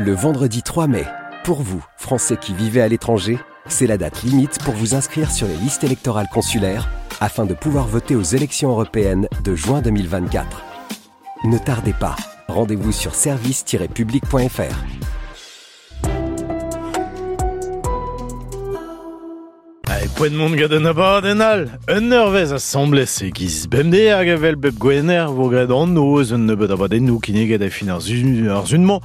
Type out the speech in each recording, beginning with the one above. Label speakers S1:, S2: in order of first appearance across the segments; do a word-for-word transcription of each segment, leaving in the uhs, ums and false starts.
S1: Le vendredi trois mai, pour vous, Français qui vivez à l'étranger, c'est la date limite pour vous inscrire sur les listes électorales consulaires afin de pouvoir voter aux élections européennes de juin deux mille vingt-quatre. Ne tardez pas, rendez-vous sur service tiret public point F R.
S2: Poent mont gant an abadenn all, un eurvezh asambles e giz bemdez hag evel bep gwener vo graet an noz un nebeud abadennoù kinniget e fin ar zun-mañ.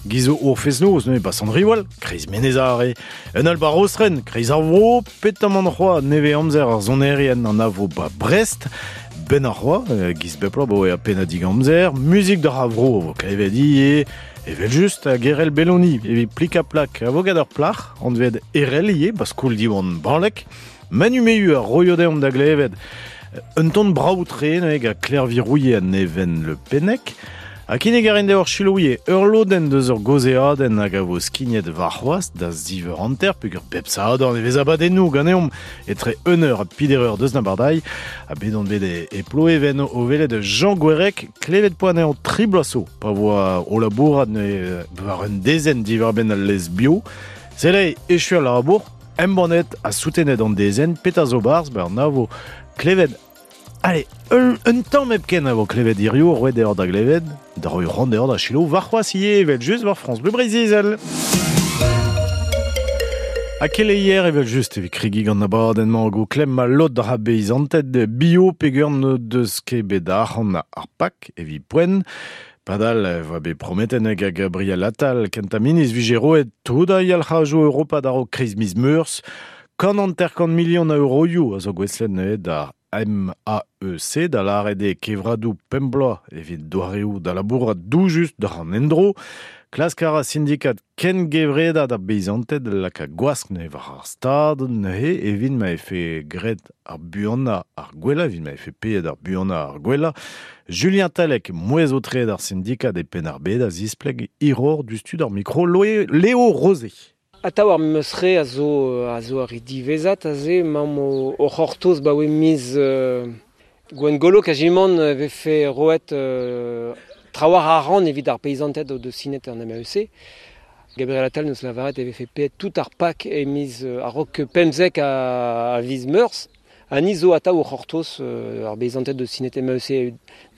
S2: Giz o fest-noz neuze ba Sant-Riwal, kreiz Menez-Are, un all ba Rostren, kreiz ar vro, petamant c'hoa nevez amzer ar sonerien an avo ba Brest, ben ar c'hoa, giz bep bloaz bo e a pennadig amzer, muzik d'ar a vro vo klevet ivez, evel just a Gerel Belloni, evit plik a plak a vo gant ur plac'h, anvet Erel ivez, ba skol Diwan Banlek, Manu Mehu a roio deomp da glevet, un ton brav-tre neuze gant Claire Virouillet ha Neven Le Pennec, ha kinnig a rin deoc'h chilouie ur lodenn deus ur gaozeadenn hag a vo skignet warc'hoazh da ziv eur hanter peogwir bep sadorn e vez abadennoù ganeomp etre un eur ha peder eur deus n'abardailh ha bet on bet e, e Ploeven o welet Jean Gwerec klevet poa anezhañ tri bloaz zo pa voa o labourat neuze war un dezenn diwar-benn al lez bio. Sell echu al labour, embannet ha soutenet an dezenn, petra zo barzh, ben an avo klevet. Allez, un, un tamm hepken a vo klevet hirio, roet deoc'h da glevet, da roiñ ran deoc'h da selaou warc'hoazh ivez evel just war France Bleu Breizh-Izel. Ha keleier evel just evit kregiñ gant abadenn-mañ go klemm a lod ra beizanted bio peogwir n'o deus ket bet arc'hant ar pak evit poent. Padal voa bet prometet hag a Gabriel Attal kentañ ministr vije roet tout a yalc'hajoù Europa da raok kreiz miz Meurzh. Kant hanter-kant milion a euroioù a zo gouestlet neuze da M A E C da lâret eo kevradoù pemp bloaz evit doareoù da labourat doujus d'ar an endro. Klask a ra sindikat kengevredad ar beizanted laka gwask neuze war ar stad neuze evit ma efe graet ar buanañ ar gwellañ, evit ma efe paeet ar buanañ ar gwellañ. Julien Talec, mouezh o tred ar sindikat e Penn-ar-Bed a zispleg hiroc'h du stud ar mikro Léo Rosé.
S3: Atav ar meus re a zo, a zo ar divezat aze, mamm o, o c'hortoz ba oe miz euh, Gwengolo kajimant vefe roet euh, trawar ar ran evit ar peizanted o deus sinet an M A E C. Gabriel Attal neus lavaret e vefe paeet tout ar pak e miz euh, a-raok pemzek a, a viz Meurzh. Ha ni zo atav o c'hortoz euh, ar peizanted deus sinet M A E C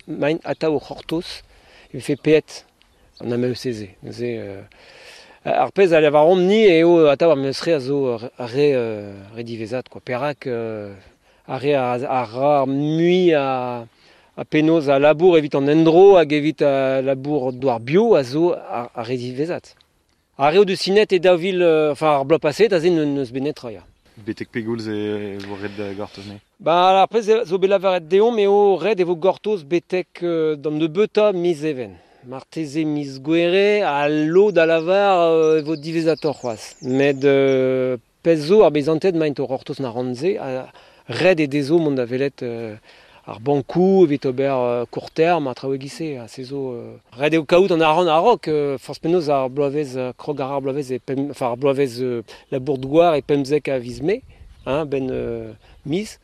S3: maint atav o c'hortoz e vefe paeet an M A E C ze. Neuze, euh, ar pezh a lavaromp ni eo atav ar meus re a zo re, re divezat, quoi. Perak euh, ar re a, a ra mui a, a penaos a labour evit an endro hag evit a labour douar bio a zo ar, ar re divezat. Ar re o deus sinet e daou vil, enfin ar bloaz paset a ze n'eus bet netra, ya.
S4: Betek pegoulz e vo ret da gortoz ne?
S3: Ba ar pezh zo bet lavaret deomp eo ret e vo gortoz betek euh, d'an nebeutañ miz Even. Marteze miz Gouere a lod a lavar euh, e vo divezator c'hoazh. Met euh, pezh zo ar beizanted maint o c'hortoz na ran-se, a ret e dezo mont da welet euh, ar bankoù evit ober euh, court terme a traoù e-giz-se, ha se zo euh, ret eo kaout an arc'hant a-raok, euh, forzh penaos ar bloavezh euh, krog ar bloavezh e pem, enfin ar bloavezh euh, labour douar e pemzek a viz Mae, hein, ben euh, miz.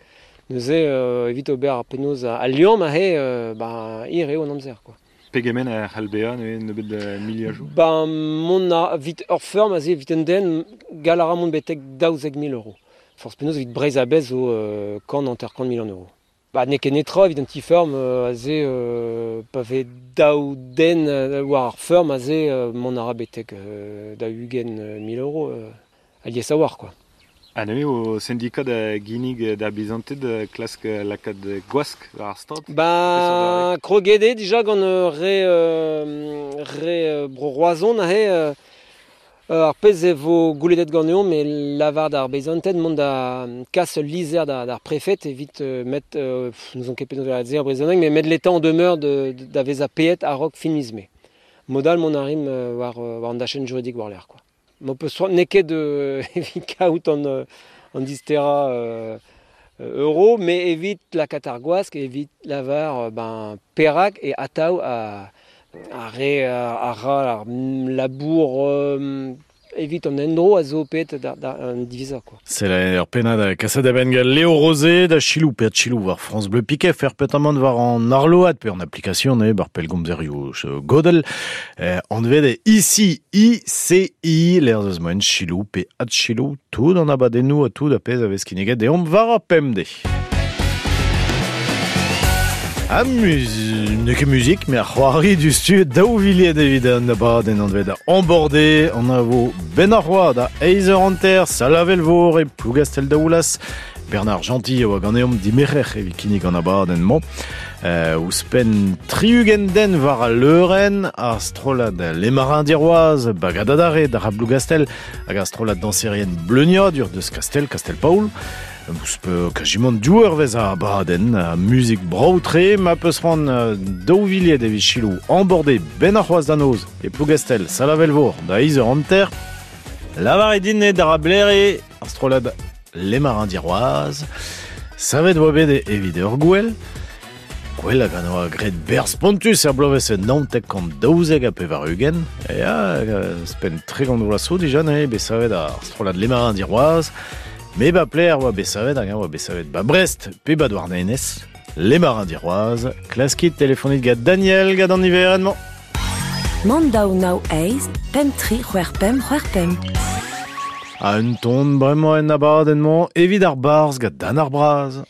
S3: Neuze euh, evit ober ar penaos a, a liamm aze euh, ba, hir eo an amzer, quoi.
S4: Pegement a c'hall bezañ neuze nebeut da miliajoù?
S3: Ba mont a vit ur feurm aze evit un den gall a ra mont betek daouzek mil euro. Forzh penaos evit Breizh a-bezh zo euh, kant hanter-kant million euro. Ba n'eo ket netra evit un ti feurm euh, aze euh, pa vez daou den euh, war ar feurm aze euh, mont a ra betek euh, da ugent mil euro euh, alies a war, quoi.
S4: Ha neuze o syndikat da ginnig da beizanted klask lakaat gwask war ar stad?
S3: Ba kroget eo dija gant re, euh, re euh, bro Roazhon aze euh, ar pezh e vo goulennet ganeomp e lavar d'ar beizanted mont da kas ul lizher da, d'ar prefet evit euh, met, euh, pff, n'ouzon ket penaos da dire brezhoneg, mais met l'État en demeure de, de, da vezañ paeet a-raok fin miz Mae. Modal mont a rim euh, war, war an dachenn juridik war l'air, quoi. M'ho peus soa n'eo ket euh, evit kaout an, euh, an distera euh, euro, mais evit lakaat ar gwask, evit lavar euh, ben, perak e atav a, a re a, a ra ar labour euh, evit an endro a zo pet da, da an divisa quoi.
S2: C'est la ur pennad kaset a ben gant Léo Rosé da chilou pe chilou war France Bleu Piquet fer petamant war an arload pe an application ne bar pellgomzerioù godel eh, anvet ici I C I l'air deus moen chilou pe ad chilou tout an abadennoù a tout a pezh a vez kinniget deomp war ar pemde. A mus... ne ket muzik, mais ar c'hoari du stu daou villiet evit an abadenn anvet embordé, an a vo ben ar roa da eiz eur hanter, Salavelvour e Plougastel daoulas, Bernard Gentil a oa ganeomp dimerer evit kinnig an abadenn-mañ. Euh, ouzhpenn tri-ugent den war al leurenn, ar strollad Les Marins d'Iroise, Bagadadare d'ar Plougastel, hag ar strollad danserien Bleuniadur deus Kastel, Kastel-Paol. Ouzpe kajimant div eurvezh a abadenn, a muzik brav-tre, ma peus c'hoant daou villiet evit chilou embordé ben ar c'hoazh da noz e Plougastel, Salavelvour da eiz eur hanter, lavaret din eo d'ar ablere ar strollad Les Marins d'Iroise, savet oa bet evit ur gwell, gwell hag an oa graet berzh spontus er bloavezh naontek kant daouzek ha pevar-ugent, e a spenn tregont vloaz zo dija neuze bet savet ar strollad Les Marins d'Iroise, me ba pler oa bet savet hag oa bet savet ba Brest pe ba Douarnenez, Les Marins d'Iroise, klaskit telefonit gant Daniel gant an niverenn-mañ.
S5: Mand daou nav eizh, pemp tri c'hwec'h pemp c'hwec'h pemp.
S2: A un ton bremañ en abadenn-mañ evit ar barzh gant Dan ar Braz.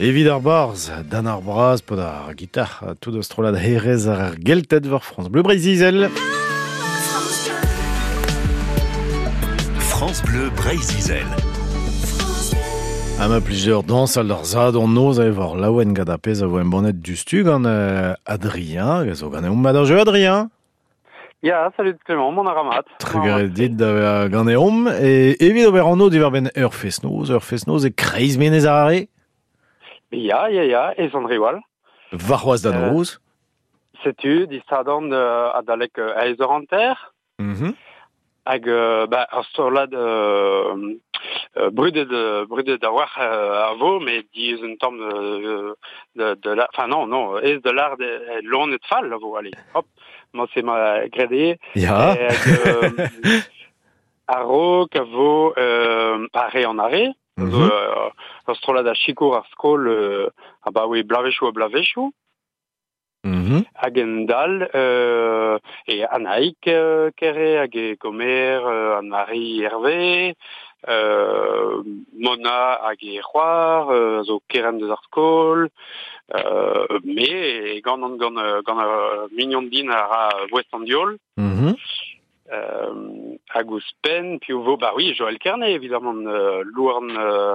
S2: Evit ar barz, dan ar braz, pod ar gitar, tout eus trollad herez ar gelted war France Bleu Breizh-Izel.
S6: France Bleu Breizh-Izel.
S2: A ma plusieurs dans al ar zad an noz a evar laouen gant ar pezh a vo embannet du stu gant euh, Adrien, gant zo gant eomp mat ar jeu Adrien.
S7: Ya, salut Clément, mon aramat.
S2: Trugarez dit da gant eomp, e evit ober an diwar ben ur fest-noz, ur fest-noz e kreiz menez ar are.
S7: Ya, ya, ya, e zon riwal.
S2: Varc'hoaz da noz.
S7: Euh, setu, distadan euh, adalek euh, aez ur anter.
S2: Mm-hmm.
S7: Hag euh, ba, ar storlad euh, euh, brudet brudet a war euh, a vo, mais diez un tamm de, de, de la... Enfin non, non, ez de l'art de lon et fall a vo, allez, hop, moi c'est ma gredé.
S2: Ya.
S7: Hag, euh, a-raok a vo euh, arre an arre,
S2: mm-hmm.
S7: zo, euh, ar strollad a chikour ar skol euh, a ba oe blavechou a blavechou.
S2: Mm-hmm.
S7: Hag en dal, euh, e Anaïk euh, Kere, hag e Gomer, euh, Anne-Marie Hervé, euh, Mona hag e c'hoar, euh, zo keren deus ar skol, euh, me e gant an gant, gant ar mignon din a ra West an diol.
S2: Mm-hmm.
S7: Euh, hag ouzhpenn, piv vo, bah oui, Joël Kerné, évidemment, euh, louarn, euh,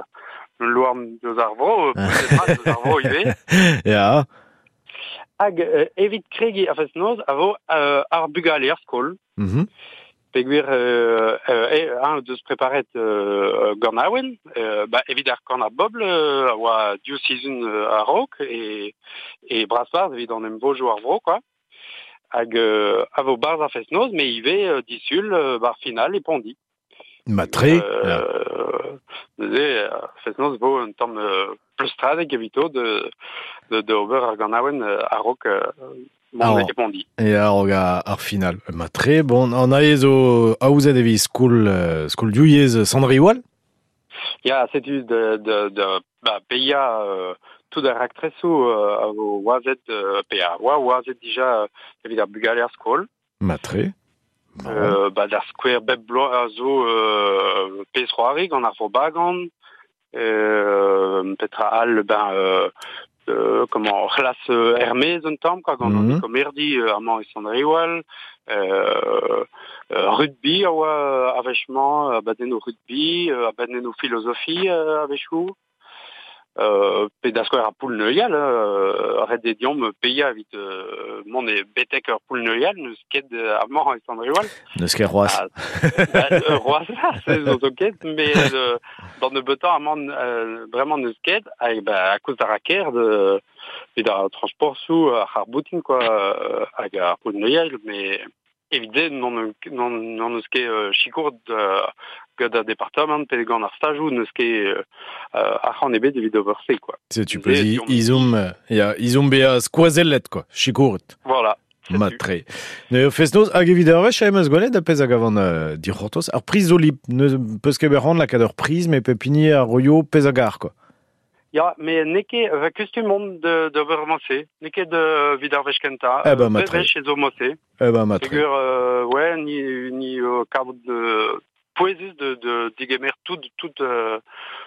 S7: louarn deus ar vro, euh, deus ar vro ivez.
S2: Ya.
S7: Hag euh, evit kregi a fest-noz a vo euh, ar bugale ar skol.
S2: Mm-hmm.
S7: Peogwir euh, euh, un deus preparet euh, gant awen, euh, ba, evit ar kan ar bobl euh, a oa div sizhun euh, a-raok e, e brasbarz evit an em vojo ar vro, quoi. Hag euh, a vo barz ar fest-noz, mais ivez euh, disul euh, bar final e pondi.
S2: Ma tre.
S7: Euh, neuze, fest-noz vo un tamm euh, pleustradek evito de, de, de ober ar gant awen a-raok euh, mont e pondi.
S2: E a-raok ar final. Ma tre, bon, an aez zo aouzet evit skol, euh, skol diouyez Sandriwal?
S7: Ya, setu de, de, de ba, peia euh, tout ar raktresou euh, a vo oazet, euh, peia, oa oazet dija euh, evit ar bugale ar skol.
S2: Ma tre. Bon.
S7: Euh, ba, d'ar skouer bep bloaz a zo euh, pezh c'hoari gant ar vo bagan, euh, petra al, ben, euh, euh, comment, c'hlas euh, Hermez un tamm, quoi, gant
S2: mm-hmm.
S7: an ekomerdi euh, amañ e Sandriwal, euh, euh, rugby a oa a-wechmañ, abadennoù rugby, euh, abadennoù philosophie euh, a-wechoù. Euh, pe da skouer ar poul neuial, euh, ret e diomp peia evit euh, mont e betek ur poul neuial, neus ket amañ e Sandriwal.
S2: Neus ket roaz.
S7: Ah, ba, euh, roaz, se zo zo ket, mais euh, dans nebeutañ amañ euh, vraiment neus ket, hag ba, a koz ar raker de, evit ar transport sou ar ar boutin, quoi, euh, hag ar poul neuial, mais evit non, non, non neus ket euh, chikour de, gant ar departamant pe gant ar stajou neus ket euh, arc'hant ebet evit ober se, quoi.
S2: Se tu peux i, izom, ya, izom bea skoazellet, quoi, chikouret.
S7: Voilà.
S2: Ma tre. Ne fest-noz hag evit ar wech a em eus gwelet a pezh hag avant euh, dic'hortoz. Ar priz zo lip, ne peus ket bet lakaat ur priz, mais pep hini ar roio pezh hag ar, quoi.
S7: Ya, mais n'eo ket va kustum on de d'ober mosse. N'eo ket de vid ar wech kentañ.
S2: Eh ben, ma tre.
S7: Wech e zo mosse.
S2: Eh ben, ma tre.
S7: Peogwir, euh, ouais, ni, ni euh, kavout de pouezus de, de digemer tout, tout, euh,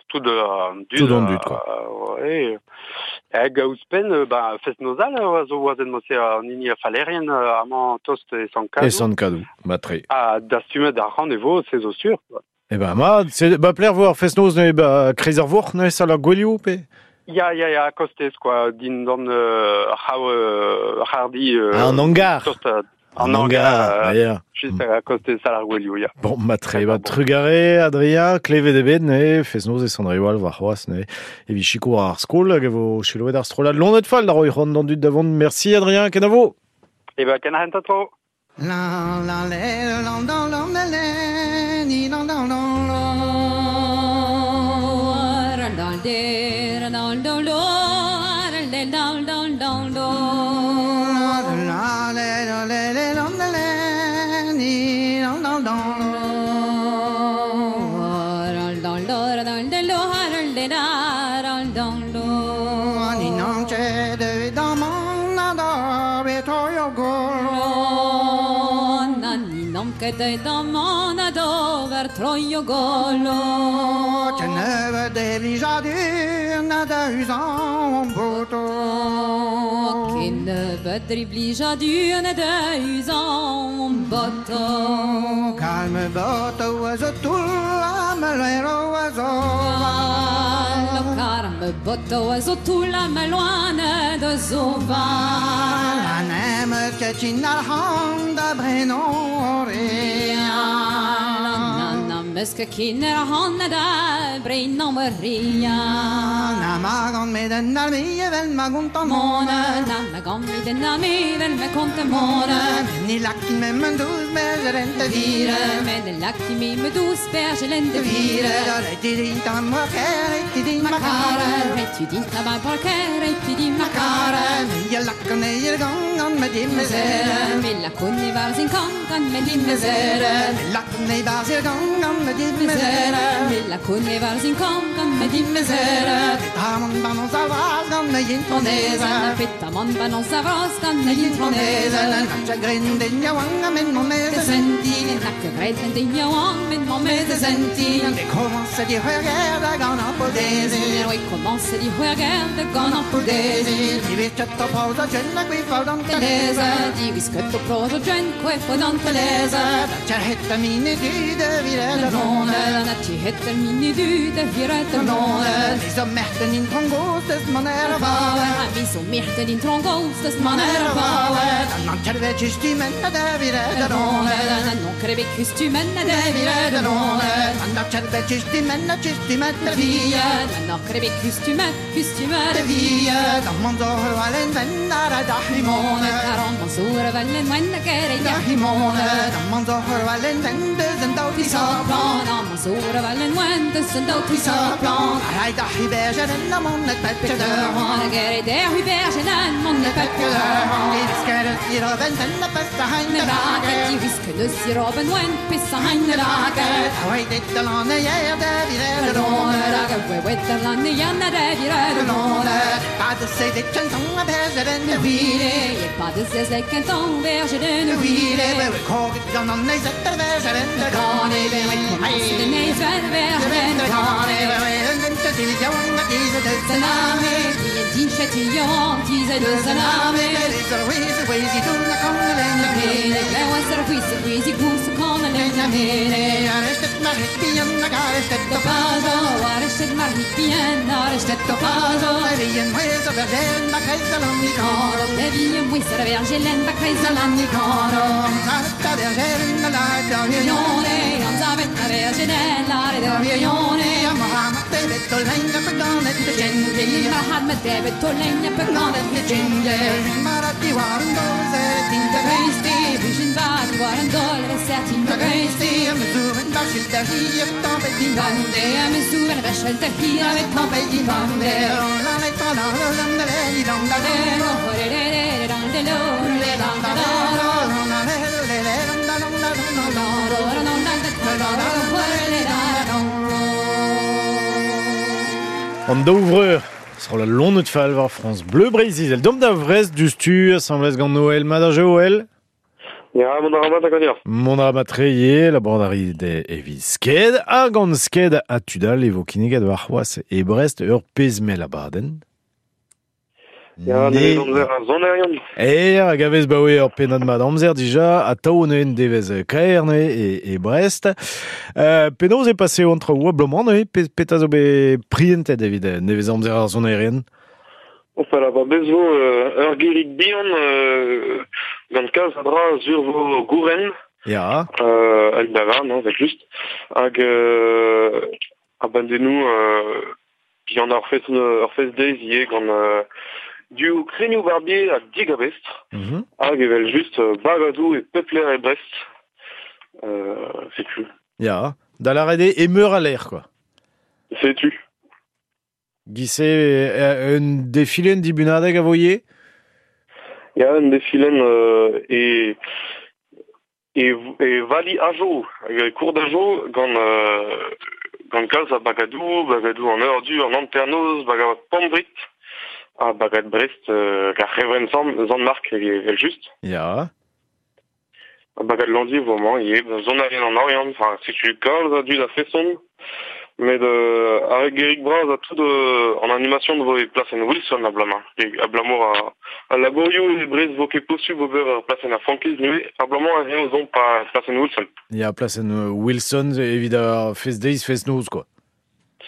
S7: tout euh, dud.
S2: Tout an dud, quoi.
S7: Euh, ouais. Hag ouzhpenn, ba, fest-noz all a zo oazen mosse an hini a falerien amañ tost e Sant-Kadou.
S2: E Sant-Kadou, ma tre.
S7: Ha dastumet ar c'hant e vo, se zo sur, quoi.
S2: Eh ben, ma, c'est, ba, pler vo ar fest-noz ne, ba, kreiz ar vor, ne, sal ar gwelioù, pe?
S7: Ya, ya, ya, kostez, quoi, din dan euh, c'hav, euh, c'hardi... Euh,
S2: ah, an hangar.
S7: Tost, euh,
S2: An hangar, euh,
S7: juste à kostez sal ar gwelioù, ya.
S2: Bon, ma tre, ba, trugare, Adrien, klevet ebet, ne, fest-noz e Sandriwal, war c'hoaz, ne, evit chikour ar skol, hag e vo chiloet ar strollad lonet fall, da roi c'hoant d'an dud davant. Merci, Adrien, kenavo.
S7: Eh ben, ken a tro.
S8: La la la la la la la la ni la la la la
S9: la la la la la la la la
S8: la la la la la la ni la la la
S9: la la la la la la
S8: ni non c'è de da mon na da be to yo go
S9: Ket da man a dover troio golo
S8: Te neve de blijadur na da uzan boto.
S9: Ken bedri blija du na da uzan boto.
S8: Kalme boto a zo toull a me loero a zo
S9: val. Karme boto a zo toull a me loan de zo val.
S8: An em ket al hand da brenon
S9: Meus ket kin ar han da brein an ria.
S8: Na magan med en arme vel ma gontan
S9: mone. Na magan med en arme vel ma konta mone.
S8: Ni lakki me men douz bergeren de vire.
S9: Men lakki me me douz bergeren de vire.
S8: Ti din ta ma kere ti din ma kare.
S9: Ti din ta ma kare ti din ma kare.
S8: Ja lakkan e gang an med din mesere.
S9: Me lakon e var sin gang an med din mesere.
S8: Me lakon e var sin gang an med din mesere.
S9: Me lakon e var sin gang an med din mesere.
S8: Petamon banon savras gant me gintoneze.
S9: Petamon banon savras gant me gintoneze.
S8: Na chagrin den yaouank a men mon meze
S9: sentin. Na chagrin den yaouank men mon meze sentin.
S8: E commence di c'hwerger da gant an podezi.
S9: Oui, commence di c'hwerger da gant an podezi.
S8: Divis ket o proz a jen a gwefo d'an teleze.
S9: Divis ket o proz a jen gwefo d'an teleze.
S8: Na tcherhet a mine du de viret a lone.
S9: Na tcherhet a mine du de viret a lone.
S8: Mi zo merten in trongos deus man er a vawe.
S9: Mi zo merten in trongos deus man er a vawe.
S8: Nan kerve kustumen a de viret a lone.
S9: Nan kerve kustumen a de viret a lone.
S8: Nan kerve kustumen a kustumen de vie.
S9: Nan kerve kustumen kustumen de
S8: vie. Dan man zo vel en ven ar da himone.
S9: Dan man zo vel en ven a kere
S8: da himone. Dan man zo vel en ven deus en daou
S9: ti sa plan. Dan man zo vel en ven deus en daou ti sa plan.
S8: Ar da hibergen en mon et pet de
S9: han. Gere der hibergen en mon et pet de han.
S8: Di visker i roben den a pesta hein de
S9: lage. Di visker i roben wen pesta hein de lage.
S8: Oei dit de lanne jer de vire de lone.
S9: Oei wet de lanne jer de vire de lone.
S8: Pas de se de chanton a bergeren de
S9: vire. Pas de se de canton bergeren de vire.
S8: We kog dan an ne zet de bergeren de
S9: gane. We de ne zet bergeren de
S8: gane. We en de de jong a diese de
S9: saname. We din chatillon diese de saname.
S8: We si tu la con le
S9: ne. Le was er huis huis goes kon le ne.
S8: Arrestet mar bien na garestet
S9: to pazo. Arrestet mar bien arrestet to pazo.
S8: Bien mues a vergelen ba kreiz an nikano.
S9: Bien mues a vergelen ba kreiz an nikano.
S8: Zarta vergelen la da
S9: vione. An zavet a vergelen la da vione.
S8: Mohammed debet to lenga pe ganet de
S9: gengi. Mohammed debet to lenga pe ganet de
S8: gengi. Marati warando zertin da
S9: greisti. Vision bad warando zertin da greisti.
S8: Am zuven bachil da hier tampet din
S9: bande. Am zuven bachil da hier tampet din bande.
S8: La la la la la la la la la
S2: An daouvreur sur la londe de fall war France Bleu Brésil. El dom da vrest du stu assemblez gant Noël Mad Joël.
S6: Ya, mon aramat a ganir.
S2: Mon aramat reye, la bordari de evi sked, a gant sked a tudal evo kinegad war c'hoaz e Brest ur pezmel a baden.
S6: Ya, ne amzer a zonerion.
S2: E, hag a vez baoe ur pennad mat amzer dija, a tao neuen devez kaer ne e, e Brest. Euh, penaos e pase an traoù a blomant ne, pe, peta zo be prientet evit nevez amzer ar zonerien.
S6: Enfin, la ba bezo euh, ur gerig bihan euh, gant kalz a dra zur vo gouren.
S2: Ya.
S6: Euh, hag da non, vet just. Hag euh, a bandennou euh, bihan ar fest, ar fest deiz ie gant euh, du krenioù barbier hag digabestr.
S2: Mm -hmm.
S6: Hag evel just bagadou e pepler e Brest. Euh, setu.
S2: Ya, da la rede emeur a l'air, quoi.
S6: Setu.
S2: Gise, un defilen dibunadeg a voye?
S6: Ya, un defilen euh, e, e, e vali ajo, e kour d'ajo, gant, euh, gant kalz a bagadou, bagadou an ur du, an anternoz, bagad pambrit, a bagad Brest, euh, gar revren zan mark evel just.
S2: Ya.
S6: A bagad landi, vraiment, e zon a an orient, enfin, setu kalz a du da feson, Met euh, ar Gerik Braz a tout euh, en animation de vo e plasen Wilson a blama. E a blamour a, a laborio e brez vo ket posub ober ar plasen a frankiz nue, a blamañ a eo zon pa plasen Wilson.
S2: Ya, plasen Wilson evit ar fest deiz, fest noz, quoi.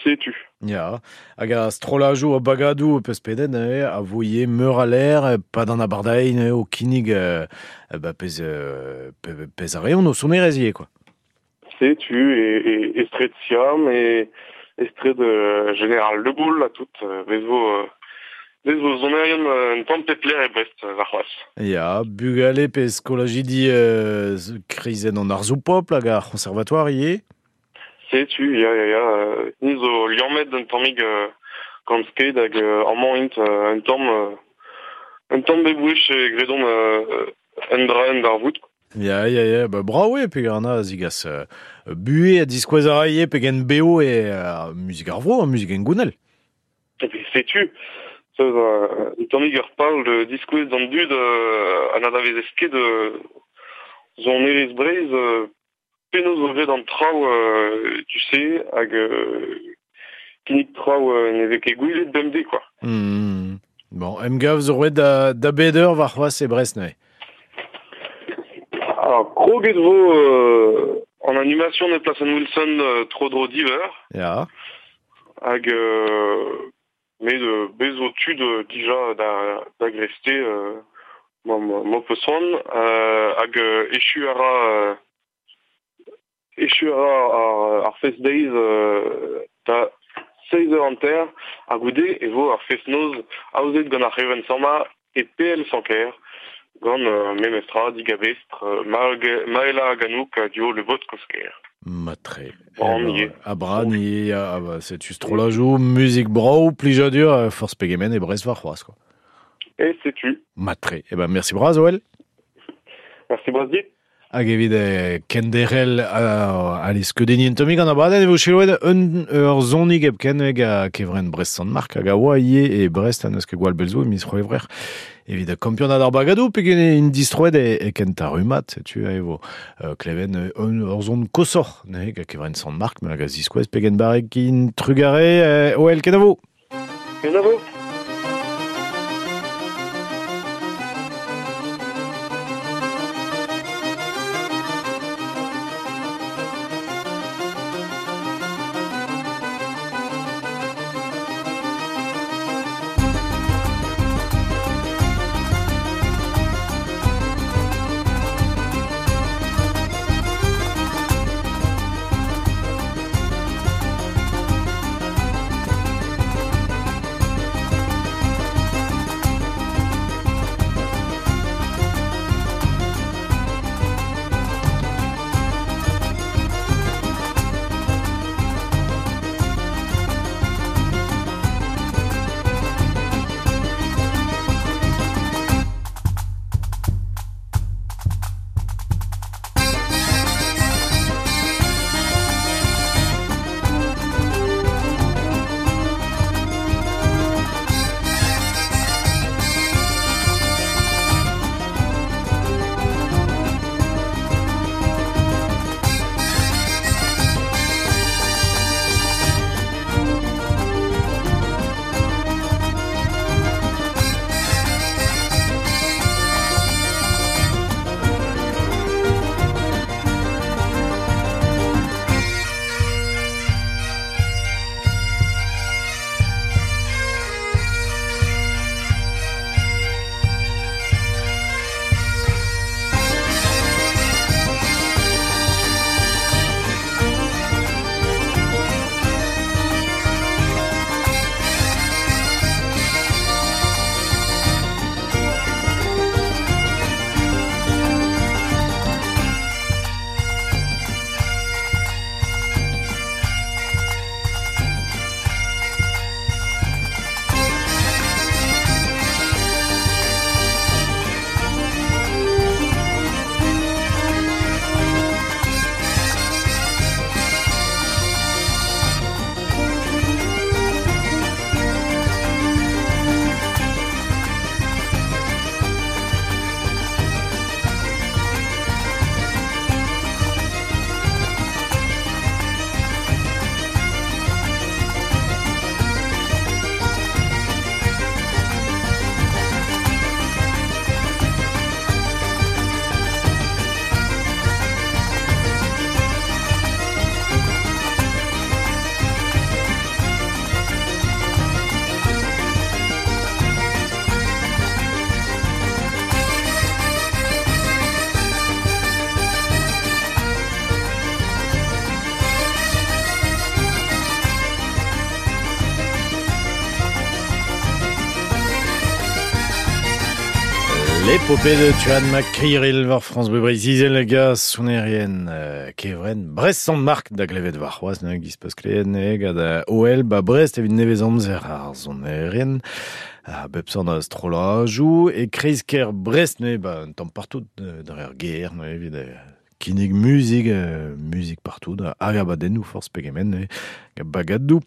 S6: Setu.
S2: Ya, hag a strolajou a bagadou peus peden, eh, a voie meur a l'air, pa d'an abardain, eh, o kinnig euh, ba pez, euh, pe, pez a reon o sonerez quoi.
S6: Setu, e, e, estret Siam, e estret euh, Général de Gaulle, a tout, euh, vezo, euh, vezo zonerion euh, un tamm pepler e Brest, euh, war c'hoazh.
S2: Ya, bugale pe skolajidi euh, krizen an arzou popl hag ar conservatoire ie.
S6: Setu, ya, ya, ya, euh, ni zo liammet un tammig euh, gant sked hag euh, amañ int euh, un tamm euh, un tamm bebouech e gredon euh, un dra un d'ar vout.
S2: Ya, ya, ya, ba bravo e pe an a zigas euh, bue a diskouez a raie pe gen beo e euh, muzik ar vro, muzik en gounel.
S6: Et puis setu, ça euh, un tammig ur pal de diskouez d'an dud euh, an adavez esked euh, zon erez brez euh, penaos zo graet an traoù euh, tu sais hag euh, kinnig traoù euh, ne vez ket gouilet bemdez quoi.
S2: Mmh. Bon, emgav zo roet da, da beder war c'hoazh e Brest neuze.
S6: Alors, kroget vo euh, en animation de Plasen Wilson euh, tro dro diver
S2: Ya.
S6: hag euh, met de bezo tud euh, dija da, da greste euh, ma, ma, ma peus c'hoant euh, hag euh, echu a ra euh, echu a ra ar, ar fest deiz euh, da seiz eur hanter ha goude e vo ar fest noz aozet gant ar c'hevenn samma e P L Sanker gant euh, memestra digabestr euh, Maël- Maëla Ganouk a duo le bot kosker.
S2: Matre.
S6: Bran
S2: Eh ben,
S6: ie.
S2: A bran ie, a, ba, setu strolajou, muzik brao, plijadur, euh, force pegemen e Brest war c'hoazh, quoi.
S6: E setu.
S2: Matre. Eh ben, merci braz, Oel.
S6: Merci braz dit.
S2: Hag evit eh, kenderel uh, aliz keudeni en tomig an abadenn e vo chiloet un ur zonig hepken hag a kevren Brest Sant-Marc hag a oa ie e Brest an eus ket gwall belzo e miz c'hwevrer. Evit kampionad ar bagadou pegen in distroet e, e kenta rumat, setu e vo uh, kleven un ur zon kosor ne hag a kevren Sant-Marc me hag a ziskouez pegen barrek in trugare eh, oel kenavo.
S6: Kenavo.
S8: Thank
S2: L'épopée de Tuan McCreeril war France Bleu Breizh-Izel ga sonerien euh, kevren Brest Sant-Marc da glevet war c'hoazh ne giz peus klevet ne gant O L ba Brest evit nevez amzer ar sonerien a bep sort a strollajoù e kreiz-kêr Brest ne ba un tamm partout dre ar gêr ne evit kinnig muzik, euh, muzik partout, hag abadennoù forzh pegement, ne, bagadou.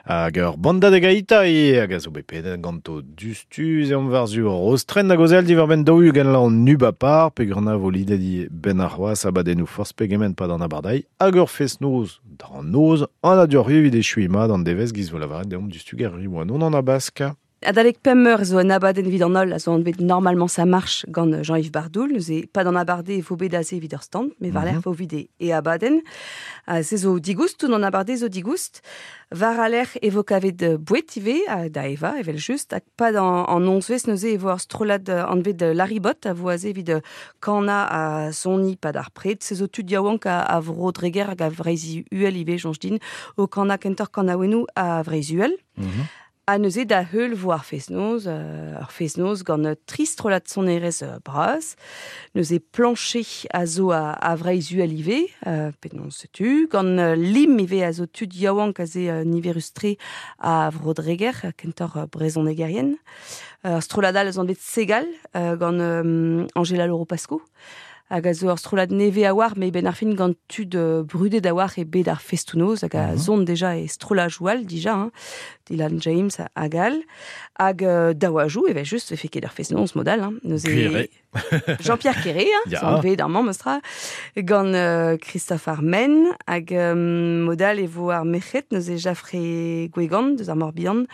S2: Hag ur banda de gaita e hag a zo bet pedet ganto dustuz e omp war-zu Rostren hag ozel diwar-benn daou-ugent la an ubapar, pe gant a vo lidet i ben ar c'hoazh abadennoù forzh pegement pad an abardai, hag ur fest-noz d'an noz, an adioc'h evit echuiñ mat an devezh giz vo lavaret deomp dustu gar riwa non an abask.
S10: Adalek pemp eur zo un abadenn evit an holl a zo anvet Normalement ça marche gant Jean-Yves Bardoul. Neuze pas d'an abarde e vo bet aze evit ur stand, mais war lerc'h vo evit e, e abadenn. Uh, se zo digoust, tout an abarde zo digoust. War a lerc'h e vo kavet bouet ivez, uh, da eva, evel just, hag pas an, an onzvez neuze e vo ur strollad anvet Laribot a vo aze evit kana a soni pad ar pred. Se zo tud yaouank a, a vro Dreger hag a Vreizh Uhel ivez, soñj din, o kana kentor kanaouennoù a Vreizh Uhel.
S2: Mm-hmm.
S10: Ha neuze da heul vo ar fest-noz, euh, ar fest-noz gant tri strollad sonerezh euh, bras. Neuze plancher a zo a, a Vreizh Uhel ivez, euh, penaos setu, gant euh, lim ivez a zo tud yaouank a ze euh, niverus-tre a vro Dreger, kentor euh, brezhonegerien. Euh, ar strollad all zo anvet Segal, euh, gant euh, Angela Loro-Pasco. Hag a zo ur strollad neve a war, me ben ar fin gant tud uh, brudet a war e bet ar festoù-noz, hag a mm-hmm. zon deja e strollajoù all dija, hein, Dylan James hag all. Hag uh, daouajoù, evel just, vefe ket ar fest-noz modal. Hein, neuze Jean-Pierre Quéré, hein,
S2: Ya.
S10: zo anvet ar mamm meustra, gant uh, Christophe Armen, hag um, modal e vo ar merc'hed, neuze Jaffré Gwegan, deus ar Morbihan,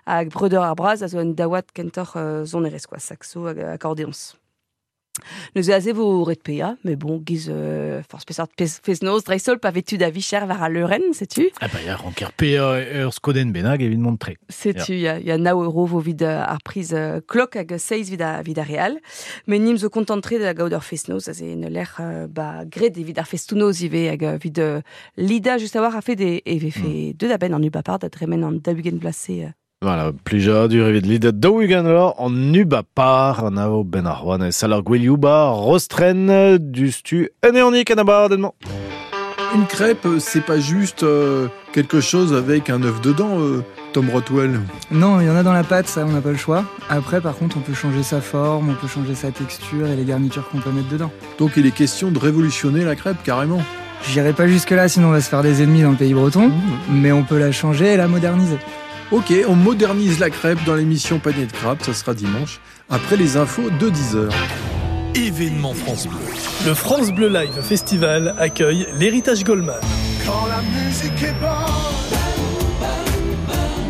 S10: hag Breudeur ar Braz, a zo un daouad kentoc'h uh, sonerezh, quoi, saxo hag accordéons. Neuze aze vo ret pea, mais bon, giz euh, forz peseurt fest-noz dreist-holl pa vez tud a vicher war al leurenn, setu.
S2: Ah bah ya, ranker pea ur skodenn bennak evit mont tre.
S10: Setu, ya, ya nav euro vo vid ar priz euh, klok hag seiz vid a, vid ar real. Mais nim zo kontant-tre da gaout ur fest-noz, aze en lec'h euh, ba gret evit ar festoù-noz ivez hag vid euh, lida just a war a fet e, e vefe mm. deut a benn an ubapar da dremen an daou-ugent vloaz-se. Euh.
S2: Voilà, plijadur evit lidet daou-ugent vloaz an ubapar an avo ben ar c'hoant e sal ar gwelioù ba Rostren dustu un eonik an abadenn-mañ.
S11: Une crêpe, c'est pas juste euh, quelque chose avec un œuf dedans, euh, Tom Rothwell.
S12: Non, il y en a dans la pâte, ça, on n'a pas le choix. Après, par contre, on peut changer sa forme, on peut changer sa texture et les garnitures qu'on peut mettre dedans.
S11: Donc il est question de révolutionner la crêpe, carrément.
S12: J'irai pas jusque-là, sinon on va se faire des ennemis dans le pays breton,
S11: mmh.
S12: mais on peut la changer et la moderniser.
S11: Ok, on modernise la crêpe dans l'émission Panier de Crabes, ça sera dimanche, après les infos de dix heures.
S13: Événement France Bleu. Le France Bleu Live Festival accueille l'Héritage Goldman.
S14: Quand la musique est bonne,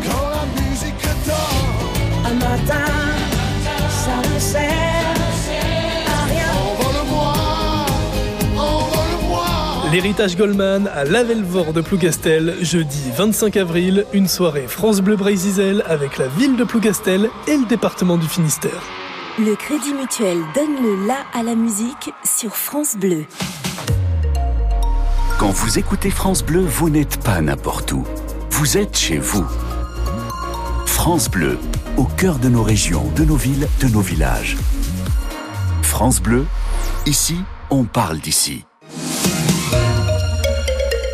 S14: quand la musique donne,
S15: un matin, ça ne sert à rien.
S14: Envole-moi, envole-moi.
S13: L'Héritage Goldman à Lavelvor de Plougastel, jeudi vingt-cinq avril, une soirée France Bleu Breizh-Izel avec la ville de Plougastel et le département du Finistère.
S5: Le Crédit Mutuel donne le la à la musique sur France Bleu.
S16: Quand vous écoutez France Bleu, vous n'êtes pas n'importe où. Vous êtes chez vous. France Bleu, au cœur de nos régions, de nos villes, de nos villages. France Bleu, ici, on parle d'ici.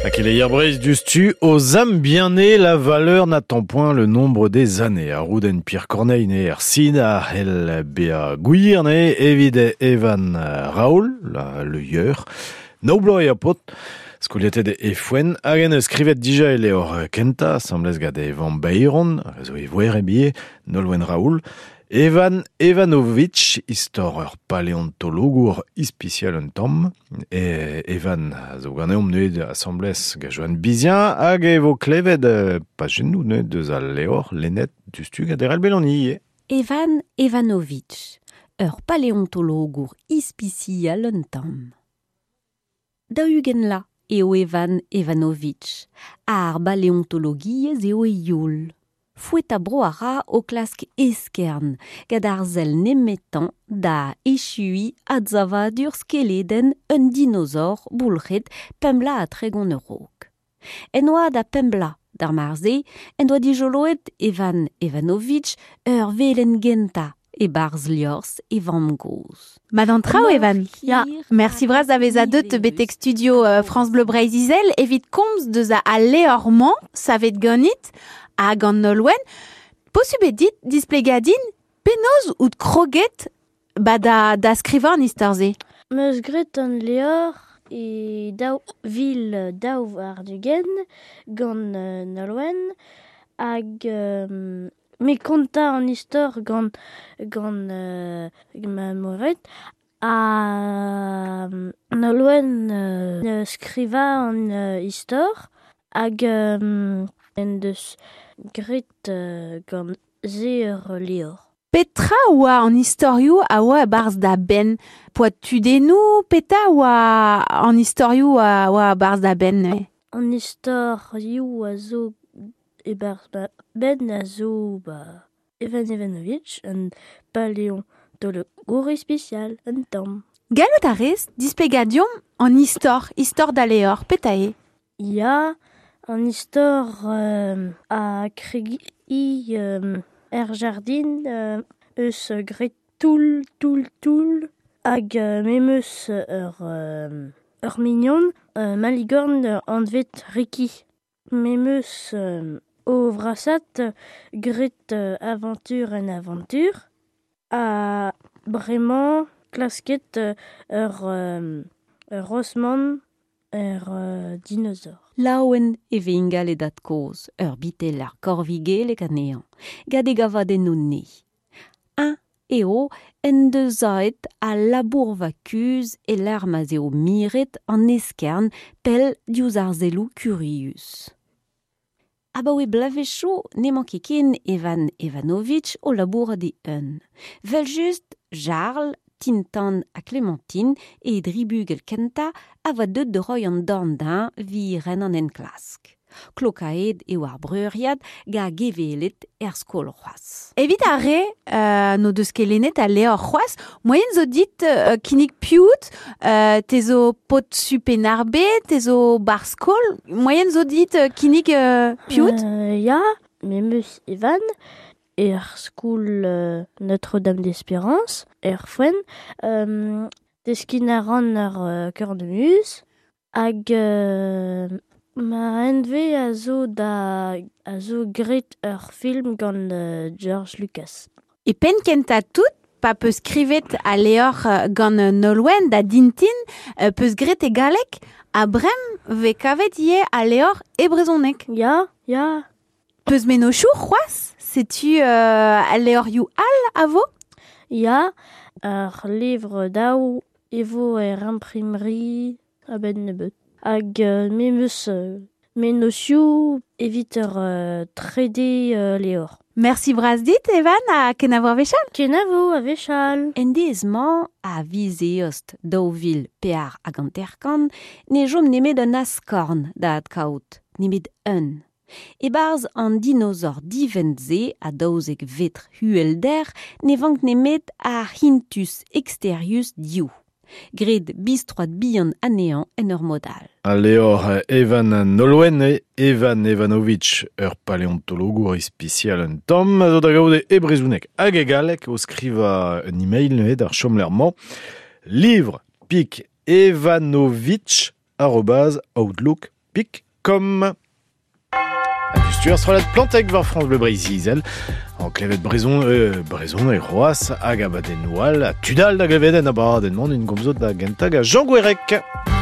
S2: Akeleyer Breizh dustu, aux âmes bien nées, la valeur n'attend point le nombre des années. A Rouden Pierre Corneille né Ersin, a Hel Bea Gwir né, Evide Evan Raoul, la, le yeur, Noblo e apot, skoliatet e foen, hag en skrivet dija e leor kenta, asambles gant Evan Bayron, zo e voer e bie, Nolwenn Raoul, Evan Evanovitch, istor ur paleontologour ispisial un tamm, e Evan a zo ganeomp neuet asambles gant Joan Bizien, hag e vo klevet pajennoù neuet deus al leor lennet dustu gant Erel Belloni.
S17: Evan Evanovitch, ur paleontologour ispisial un tamm. Daou-ugent la eo Evan Evanovitch, ar baleontologiezh eo e youl. Fouet a bro a ra o klask eskern, gant ar sell nemetañ da echui adzavadur skeleden un dinosaur boulc'het pemp ha tregont a-raok. En oa da pemp bloaz d'ar marze, en doa dijoloet Evan Evanovitch ur velen gentañ e barz liors e vamm-gozh.
S18: Mad an traoù, Evan. Ya, merci bras da veza deut betek studio euh, France Bleu Breizh-Izel evit komz deus a al leor-mañ, savet ganit, hag an Nolwenn. Posubl eo dit displegadin penaos out kroget ba da, da skrivañ an istor-se.
S19: Meus graet an leor e daou vil daou ar ugent gant euh, Nolwenn hag euh, me kontañ an istor gant gant euh, ma moret ha Nolwenn euh, skriva an euh, istor hag euh, en deus graet euh, gant se ur leor.
S18: Petra oa an istorioù a oa e-barzh da benn? Poa tudennoù, petra oa an istorioù a oa e-barzh da benn neuze?
S19: An istorioù a zo e-barzh ba benn a zo ba Evan Evanovitch, un paléontologour ispisial, un tamm.
S18: Gallout a rez displegadion an istor, istor da leor, petra eo?
S19: Ya, an istor euh, a kregi euh, er jardin euh, eus graet toull, toull, toull hag euh, memeus ur, euh, ur mignon euh, maligorn anvet Ricky. Memeus euh, o vrasat graet euh, aventure en aventure ha bremañ klasket euh, ur, euh, ur Rosman ur euh, dinosaure.
S17: Laouen e vez ingal e dat kozh, ur bitel ar korvigelek anezhañ, gant e gavadennoù ne. Un eo en deus aet a labourva kuzh e lec'h ma'z eo miret an eskern pell diouzh ar selloù kurius. Abaoe bloavezhioù n'emañ ket ken Evan Evanovitch o labourat e-un. Vel-just, Jarl, Tintin ha Clémentine e dribugel kentañ a oa deuet da roiñ an dorn dezhañ evit ren an enklask. Klokaet eo ar breuriad gant gevelet er skol c'hoazh.
S18: Evit ar re euh, n'o deus ket lennet al leor c'hoazh, moaien zo dit euh, kinnig piout, euh, te zo paotr su Penarbe, te zo bar skol, moaien zo dit euh, kinnig euh, piout?
S19: Euh, ya, memeus Evan, er skol euh, Notre-Dame d'Espérance, er foenn, euh, deskin a ran ar euh, cornemuse, hag euh, ma enve a zo da a zo graet ur film gant euh, George Lucas.
S18: E penn kentañ tout, pa peus skrivet al leor euh, gant Nolwenn da Dintin, euh, peus graet e galleg, ha brem vez kavet ivez al leor e brezhoneg.
S19: Ya, ya.
S18: Peus mennozhioù c'hoazh? Setu euh, al leorioù all a vo?
S19: Ya, ar levr daou e vo er imprimerie a-benn nebeut. Hag euh, memeus euh, mennozhioù evit ur euh, trede euh, leor.
S18: Merci bras dit, Evan, ha kenavo a-wechall.
S19: Kenavo a-wechall.
S17: En deiz-mañ a viz eost daou vil pear hag hanter-kant ne chom nemet un askorn da adkaout, nemet un. E-barzh an dinosaur divent-se a daouzek vetr uhelder ne vank nemet ar hintus exterius div. Graet bistroad bihan anezhañ en ur mod all.
S2: Al leor Evan Nolwenn e Evan Evanovitch, ur paléontologour ispisial un tamm, a zo da gaout e brezhoneg hag e galleg o skrivañ un email neuze d'ar chomlec'h-mañ livre pik evanovitch arobase outlook pik com. Stuer strollad Planteg war France Bleu Breizh-Izel. En klevet brezhon, euh, brezhon e c'hoazh hag abadennoù all, ha tudal da glevet en abadenn-mañ en gomzo da gentañ ga Jean Gouerec.
S15: Thank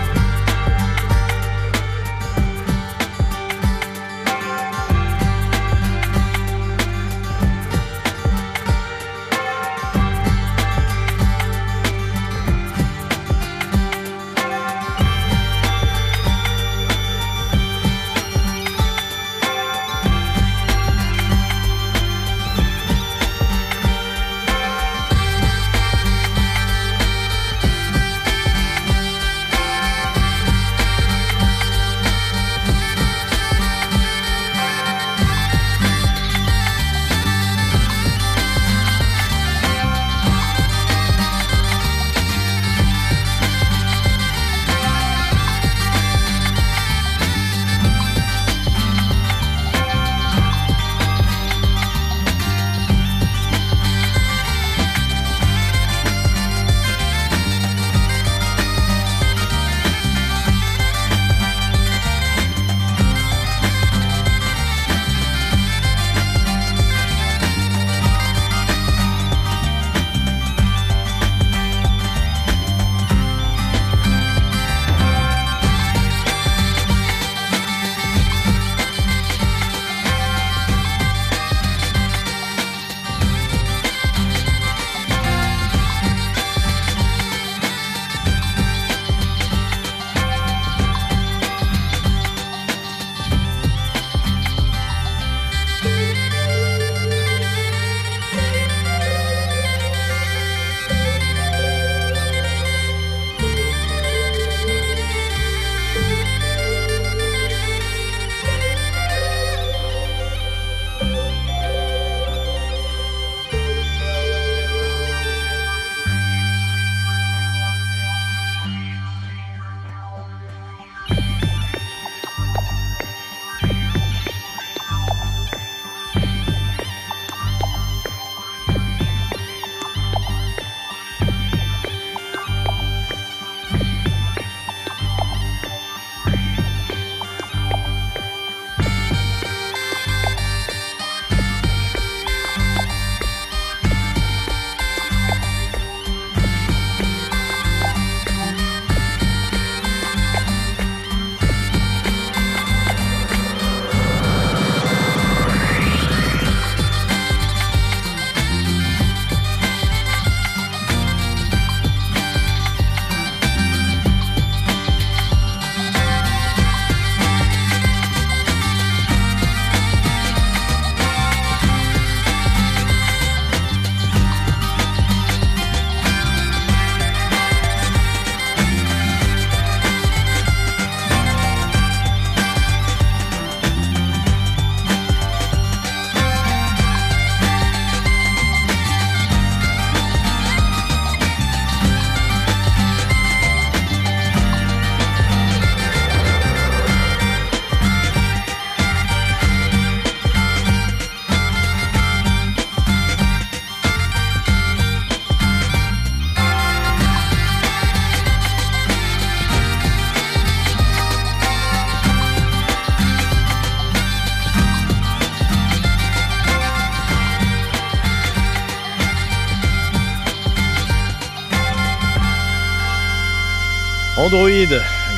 S2: Android,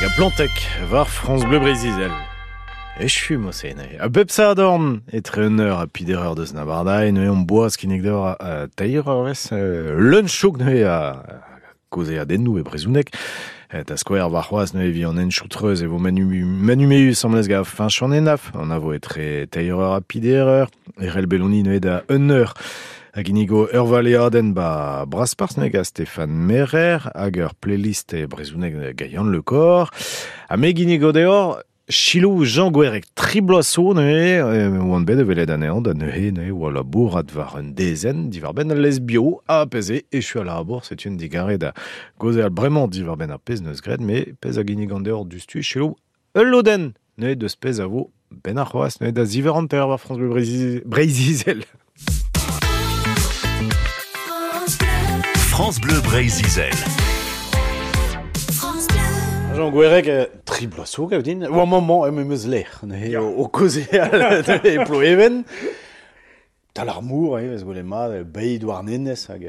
S2: ga Plantec, war France Bleu Breizh-Izel. Echu mo se, A bep sa adorn, etre un eur a pider eur deus nabardae, neuze on boaz kinnig deoc'h a teir eurvezh, leun chouk neuze a koze a dennou e brezhoneg. Da skouer war c'hoazh neuze vi an enchoutreuz e vo manu, manumeus amlez ga fin chan enaf. An avo etre teir eur a pider eur, erel beloni neuze da un eur. Hag inigo ur valeadenn ba Braspars neuze ga Stéphane Merer, hag ur playlist e brezhoneg ga Yann Le Corre. Ha me ginnigo deoc'h Chilou Jean Gwerek tri bloaz zo neuze, oan bet evelet anezhañ da neuze neuze oa labourat war un dezenn diwar-benn al lesbio ha pezh echu a labour, setu un digarez da gaozeal bremañ diwar-benn ar pezh neus graet, me pezh a ginnigan deoc'h dustu Chilou ul lodenn neuze deus pezh a vo ben ar c'hoazh neuze da ziver hanter war France Bleu Breizh-Izel.
S16: France Bleu Breizh-Izel.
S2: Jean Gwerek, tri bloaz zo gav din. Oa maman em eus lec'h, neuze o kaozeal e Ploeven. Tal ar mour, eh, vez gwelet mat, beid war nenez, hag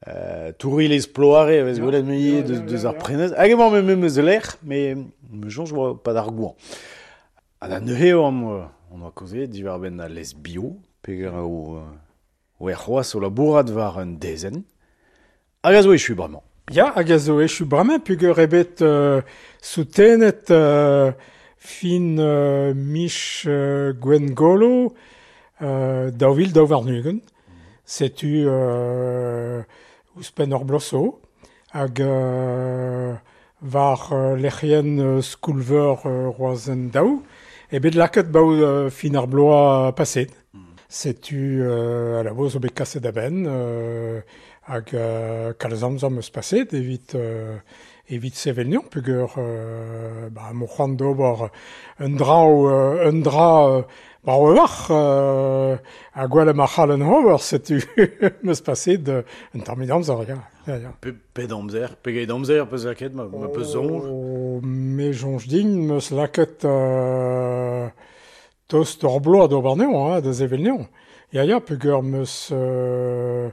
S2: euh, tourilez ploare, vez gwelet mui deus, deus ar prenez. Hag emañ me em eus lec'h, me me soñj oa pa d'ar gouan. Ha da neuze oamp, on oa kaozeet diwar-benn al lesbio, peger o, o er c'hoazh o labourat war un dezenn. Hag a zo echu bremañ.
S20: Ya, hag a zo echu bremañ, peogwir eo bet euh, soutenet euh, fin euh, mich euh, Gwengolo euh, daou vil daou warn-ugent. Setu euh, ouzhpenn ur bloaz zo, hag euh, war euh, lec'hienn euh, Skoulveur euh, Roazhon daou, eo bet lakaet baou euh, fin ar bloaz paset. Setu euh, a la zo bet kaset a-benn, euh, hag euh, kalz amzer 'm eus paset evit, euh, evit sevel neon, peogwir euh, ba, mo c'hoant d'ober un dra, euh, un dra euh, brav a-walc'h euh, ha gwell ma c'hallen ober, setu 'm eus paset euh, un tammig amzer, ya. Ya, ya.
S2: Pe, pet amzer, pegeit amzer peus lakaet, ma, ma peus soñj?
S20: Oh, me soñj din 'm eus lakaet euh, tost ur bloaz d'ober neon, hein, da sevel neon. Ya, ya, peogwir 'm eus euh,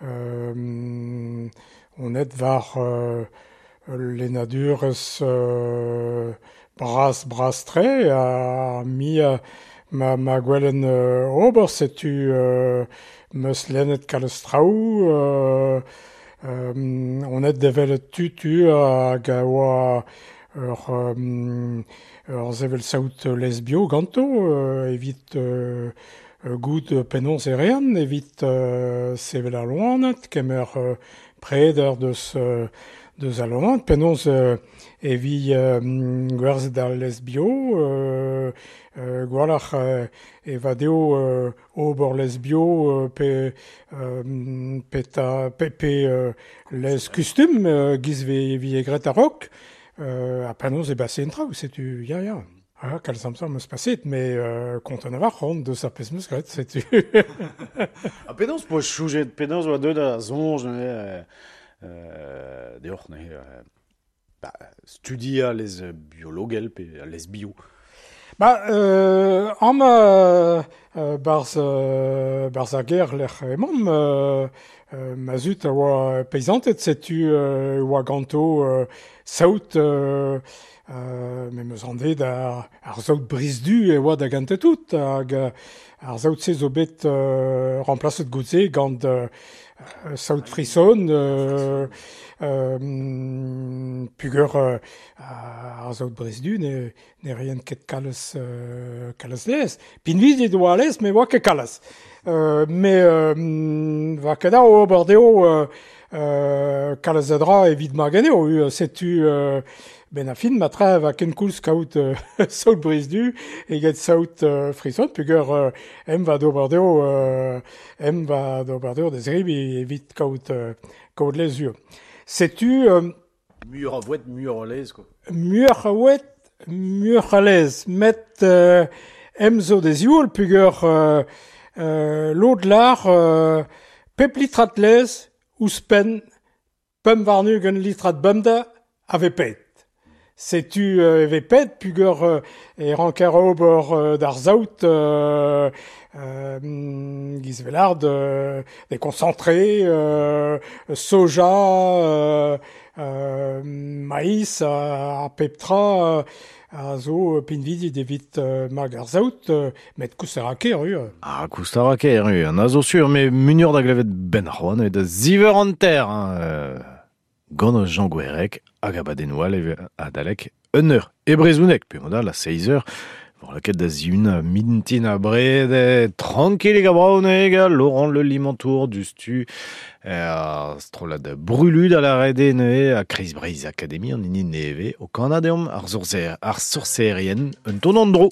S20: euh, on et war euh, lennadurezh euh, bras bras-tre ha mi euh, ma, ma gwellen euh, ober, setu euh, 'm eus lennet kalz traoù, euh, euh, on et devel tu-tu hag a oa ur, euh, ur sevel saout lesbio ganto, euh, evit euh, gout penaos e rean, evit euh, sevel ar loened, kemer euh, preder deus, euh, deus al loened, penaos euh, evi euh, gwerzhet al lesbio, euh, euh, gwalc'h euh, e va deo euh, ober lesbio euh, pe, euh, peta, pe, pe euh, lez kustum euh, giz vi, vi e gret a-raok, euh, ha penaos e base en traoù, setu, ya, ya. Ah, kalz amzer 'm eus paset, mais euh, kontant a-walc'h on deus ar pezh 'm eus graet, setu.
S2: Ha penaos po choujet, penaos oa deuet da soñj neuze, euh, euh, deoc'h neuze, euh, ba, studia lez biologel pe lez bio.
S20: Ba, euh, am euh, euh, barz, euh, barz ar ger lec'h emaomp, euh, euh, ma zud a oa peizanted, setu euh, oa ganto euh, saout, euh, euh, me meus anvet ar, ar saout brizdu e oa da gante tout, hag euh, ar saout-se zo bet euh, remplaset goude gant euh, saout frison, euh, euh, pugur euh, ar saout brizdu ne, ne rien ket kalz, euh, kalz lez. Pinvidik oa lez, me oa ket kalz. Euh, me euh, va ket da ober deo euh, euh, kalz a dra evit ma geneo, euh, setu euh, ben a fin ma tra va kenkoulz kaout euh, saout brizdu eget saout euh, frison, pugur euh, em va d'ober deo, euh, em va d'ober deo da zribi evit kaout, euh, kaout lez ur. Setu... Euh,
S2: Muioc'h a voued, muioc'h a lez, quoi.
S20: Muioc'h a voued, muioc'h a lez. Met euh, em zo da zioul, pugur euh, euh, lod lar euh, pep litrad lez ouzhpenn pemp warn-ugent litrad bemdez a vez pet. Setu euh, e vez pet, pugur euh, e ranker ober euh, d'ar saout euh, euh, giz velard euh, des concentrés, euh, soja, euh, euh, maïs a, a pep tra a zo pinvidik evit euh, mag ar saout, euh, met koust a ra ker, eo.
S2: Ah, koust a ra ker, eo, an a zo sur, mais munur da glevet ben c'hoant eo da ziver an ter, hein, euh, gant Jean Gwerek hag abadennoù all adalek un eur e brezhoneg, pe modal a seizh eur, war laket da ziun mintin a bred, tranquillig a braoneg, Laurent Le Limantour du stu, euh, strollad brulud a la rede neuze a Kreiz Breizh Academy an hini neve o Kanadeom ar sorcer, ar sorcerien un ton an dro.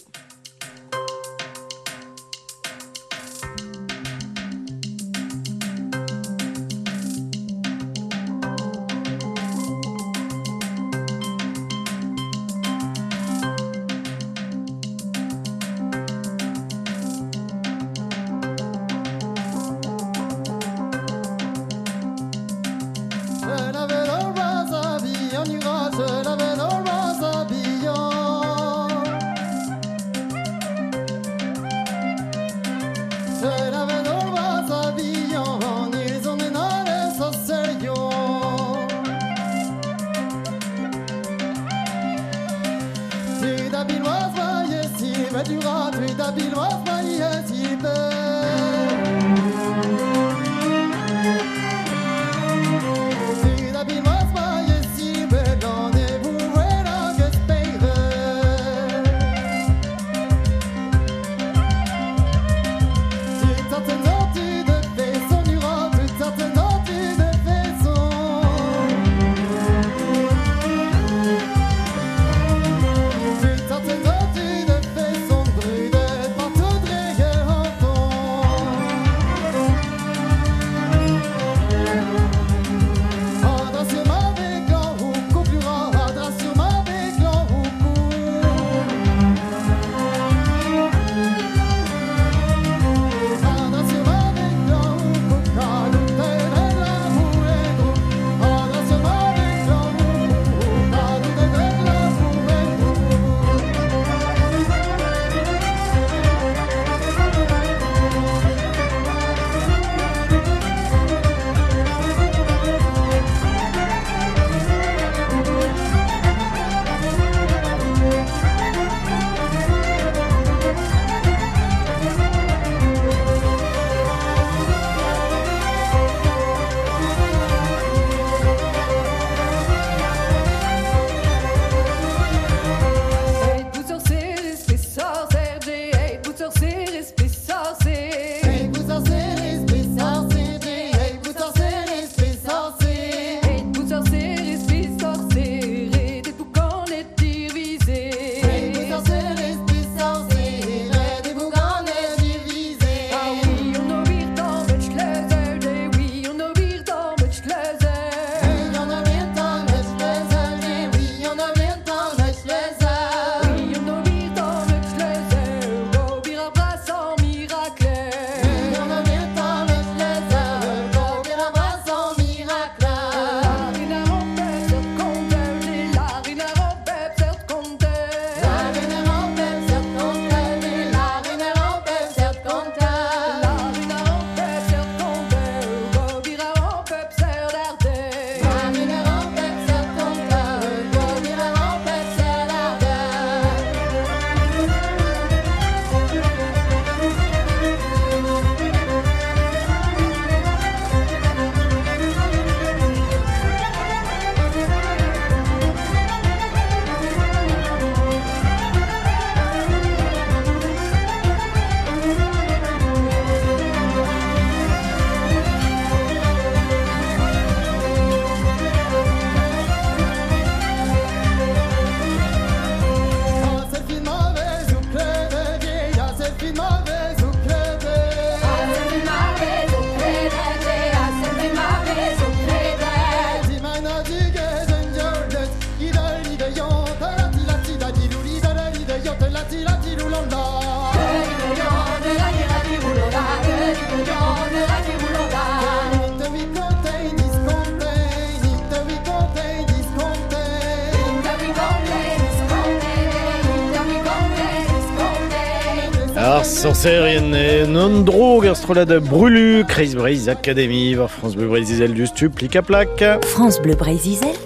S2: Ar sorcerien e non drog ar strollad brulu, Kreiz Breizh Academy, war France Bleu Breizh Izel du stu, plik a plak.
S17: France Bleu Breizh Izel,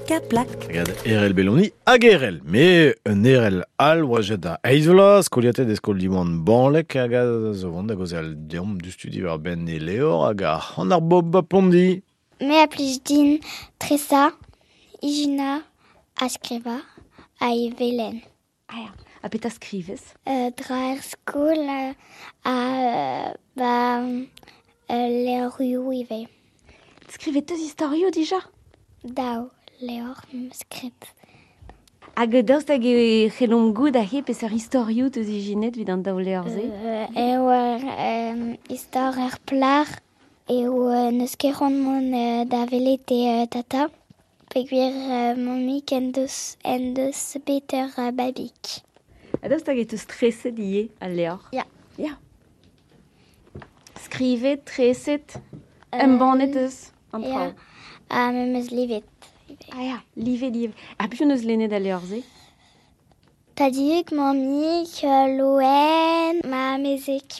S5: Plika plak.
S2: Gad Erel Belloni hag Erel. Me un Erel al oa jet da eizh vloaz, skoliatet e skol Diwan Banlek hag a zo vont da gaozeal deomp du studi war ben e Leor hag ar an ar bob a Pondi.
S21: Me a plij din tresa, ijina, a skriva, a ivelen.
S17: Ah ya, ha petra skrivez?
S21: Euh, dra er skol euh, a euh, ba euh, levrioù ivez.
S17: Skrivet teus istorioù dija?
S21: Daou, levr skrivet.
S17: Hag daoust hag e c'hellomp goût aze peseurt istorioù teus ijinet evit an daou levr-se?
S21: Euh, eo ur euh, istor ur plac'h eo euh, n'eus ket c'hoant mont euh, da welet e euh, tata. Peogwir euh, mammig en deus, en deus bet ur euh, babig.
S17: Ha daoust hag e teus treset ivez al levr?
S21: Ya.
S17: Ya. Skrivet, treset,
S21: Euh,
S17: embannet eus an
S21: ya.
S17: traoù.
S21: Ha me 'm eus livet.
S17: Ah ya, livet, livet. Ha piv neus lennet al levr-se?
S21: Tadig, mammig, euh, Loen, ma amezeg.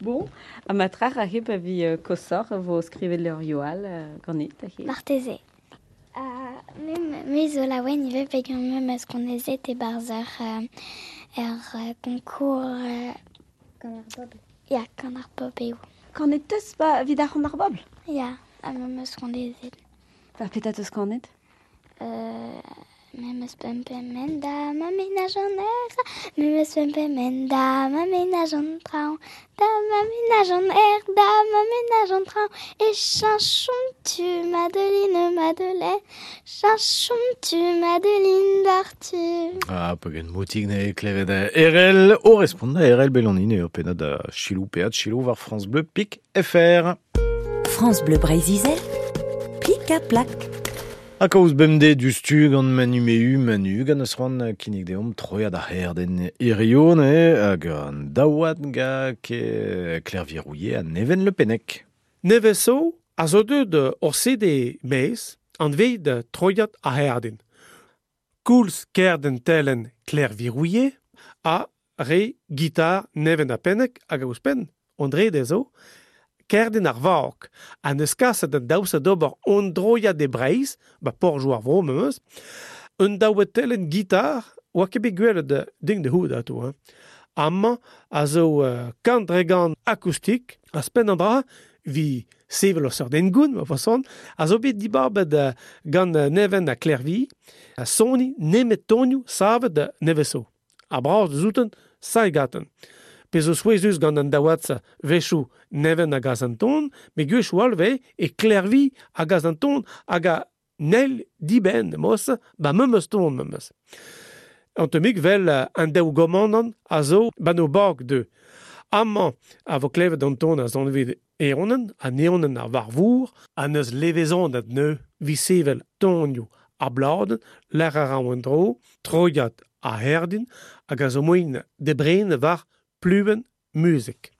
S17: Bon, ha ma trac'h aze pa vi euh, kosoc'h vo skrivet levrioù all euh, ganit aze.
S21: Marteze. Uh, me, me zo laouen ivez peogwir me 'm eus gonezet e-barzh ur, euh, ur euh, concours... Euh,
S19: Gant ar bobl.
S21: Ya, gant ar bobl eo.
S17: Kanet teus ba evit ar c'hant ar bobl?
S21: Ya, ha me 'm eus gonezet.
S17: Ba petra teus kanet?
S21: Euh, me 'm eus pemp pemp da ma menaj an aer, me 'm eus pemp pemp da ma menaj an traoñ, da ma menaj an aer, da ma menaj an traoñ, e cheñchomp-tu Madeline, Madeleine, cheñchomp-tu Madeline d'Arthur.
S2: Ah, pegen moutig ne klevet Erel, o respont da Erel Belloni ne ur pennad da Chilou peat Chilou war France Bleu Pik F R.
S5: France Bleu Breizh-Izel, plik ha plak.
S2: Ha kaoz bemdez du stu gant Manu Mehu, Manu gant eus c'hoant kinnig deomp troiad ar c'herden hirio ne hag an daouad ga ke Claire Virouillet ha Neven Le Pennec.
S22: Neveso a zo deuet ur C D mez an veid troiad ar c'herden. Koulz kerden telen Claire Virouillet ha re gitar Neven a Pennec hag ouzhpenn André dezo kerden ar vag, ha neus kaset an daoust d'ober on droiad e Breizh, ba porjoù ar vro memes, un daouet telen gitar, oa ket bet gwelet ding de houd ato, hein. Amañ a zo euh, kant dre gant akoustik, a spenn an dra, vi sevel ur seurt engoun, ma façon, a zo bet dibabet euh, gant Neven ha Klervi, a soni nemet tonioù savet da neveso. A bras zouten, saigaten. Pe zo souezhus gant an daouad wechoù Neven hag az an ton, me gwech all ve e Klervi hag az an ton hag a nel dibenn mos, ba memes ton memes. An temik vel an daou gomandan a zo ba no bag de. Amañ a vo klevet an ton a zon vet eonen, an eonen ar varvour, a neus levezon ad neu vi sevel tonioù a bladen, lec'h a ra an dro, troiad a herdin, hag a zo moin de brene war pluven muzik.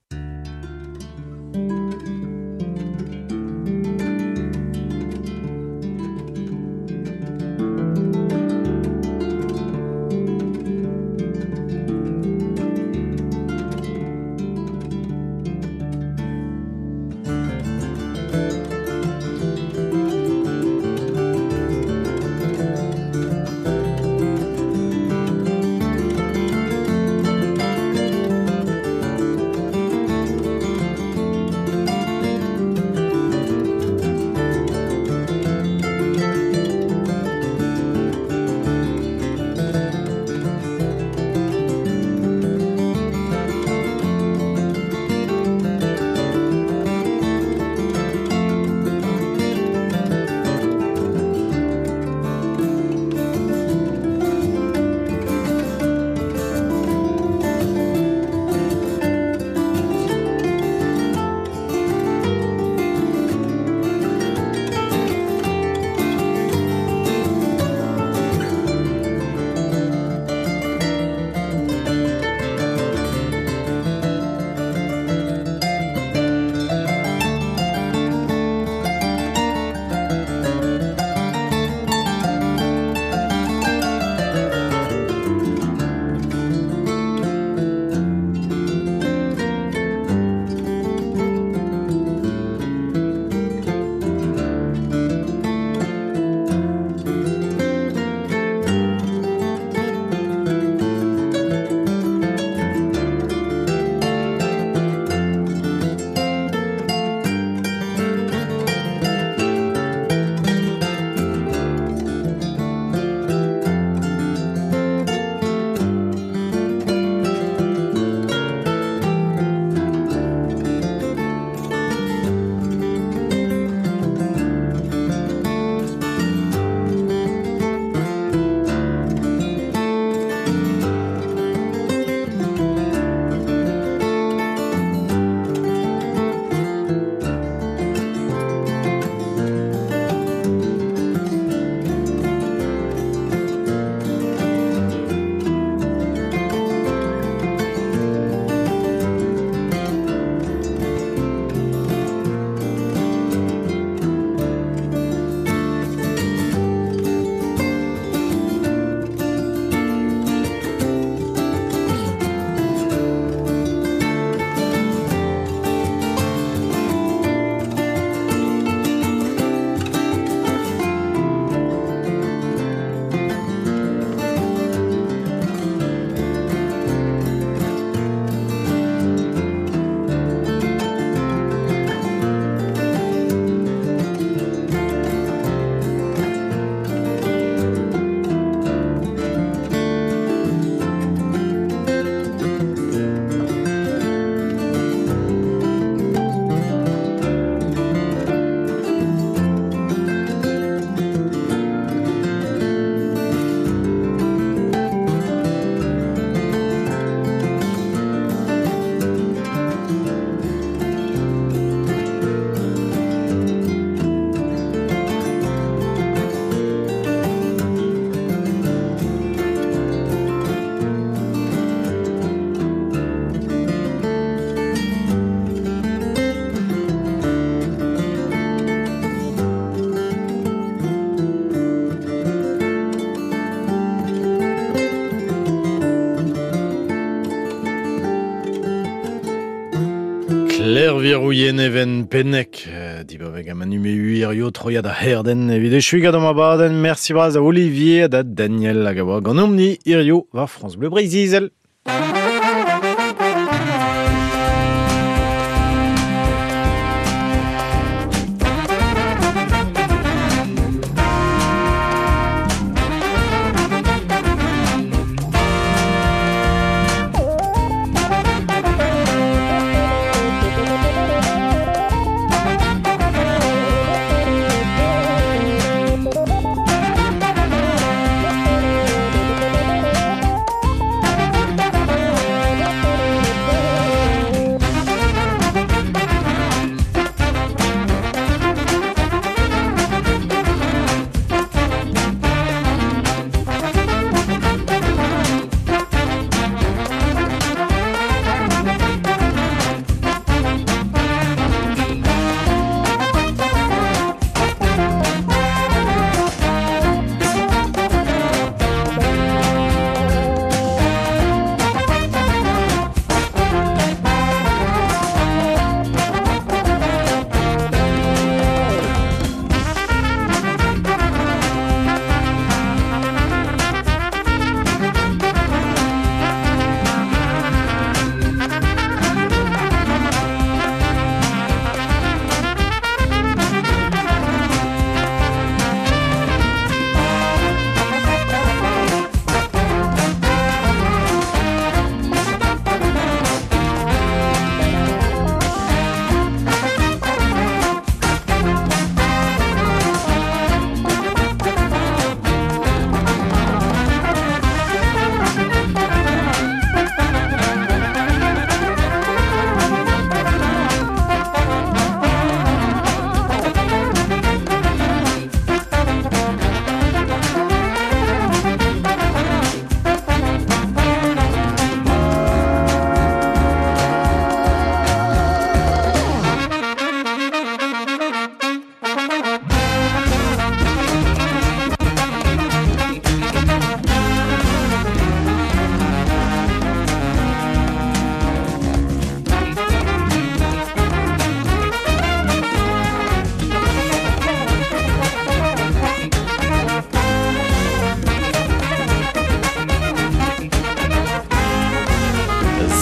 S2: Virouillet Neven Pennek, dibabeg a manu me uirio troiad a herden evit echu gant ma baden. Merci braz a Olivier da Daniel hag a oa gant omni irio war France Bleu Breizh-Izel.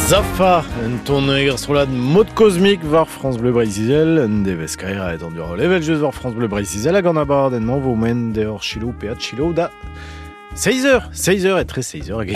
S2: Zafa, un ton eger strolad mod cosmique war France Bleu Breizh-Izel, un devez kaera et an dur level just war France Bleu Breizh-Izel hag an abadenn mañ vo men deoc'h chilo pe at chilo da seiz eur, seiz eur et tre seiz eur hag